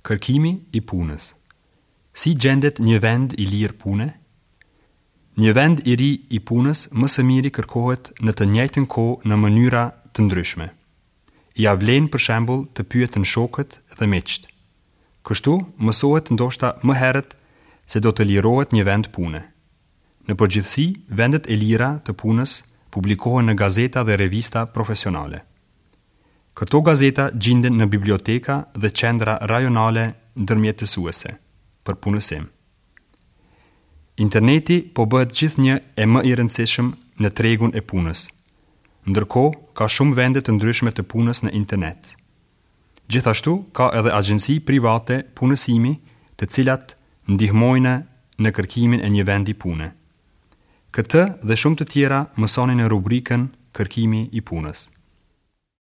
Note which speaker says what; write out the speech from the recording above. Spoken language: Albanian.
Speaker 1: Kërkimi i punës. Si gjendet një vend i lirë pune? Një vend i ri i punës më së miri kërkohet në të njëjtën kohë në mënyra të ndryshme. Ia vlen për shembull të pyeten shokët dhe miqtë. Kështu mësohet ndoshta më herët se do të lirohet një vend pune. Në përgjithësi, vendet e lira të punës publikohen në gazeta dhe revista profesionale. Këto gazeta gjinden në biblioteka dhe qendra rajonale ndërmjetësuese për punësim. Interneti po bëhet gjithnjë e më i rëndësishëm në tregun e punës. Ndërkohë, ka shumë vende të ndryshme të punës në internet. Gjithashtu, ka edhe agjenci private punësimi të cilat ndihmojnë në kërkimin e një vendi pune. Këtë dhe shumë të tjera mësoni në rubrikën Kërkimi i punës.